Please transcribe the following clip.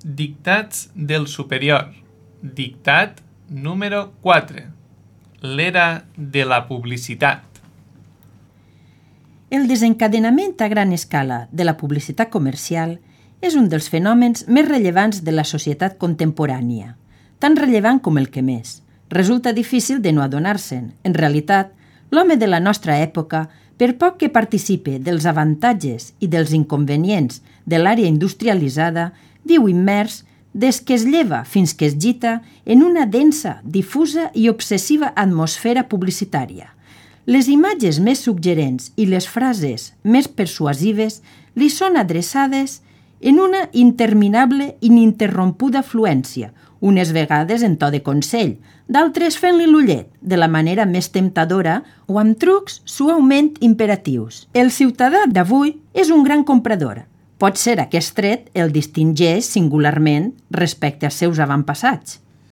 Dictats del superior. Dictat número 4. L'era de la publicitat. El desencadenament a gran escala de la publicitat comercial és un dels fenòmens més rellevants de la societat contemporània, tan rellevant com el que més. Resulta difícil de no adonar-se'n. En realitat, l'home de la nostra època, per poc que participe dels avantatges i dels inconvenients de l'àrea industrialitzada, viu immers des que es lleva fins que es gita en una densa, difusa i obsessiva atmosfera publicitària. Les imatges més suggerents i les frases més persuasives li són adreçades en una interminable i ininterrompuda fluència, unes vegades en to de consell, d'altres fent-li l'ullet, de la manera més temptadora o amb trucs suaument imperatius. El ciutadà d'avui és un gran comprador. Pot ser aquest tret el distingeix singularment respecte als seus avantpassats.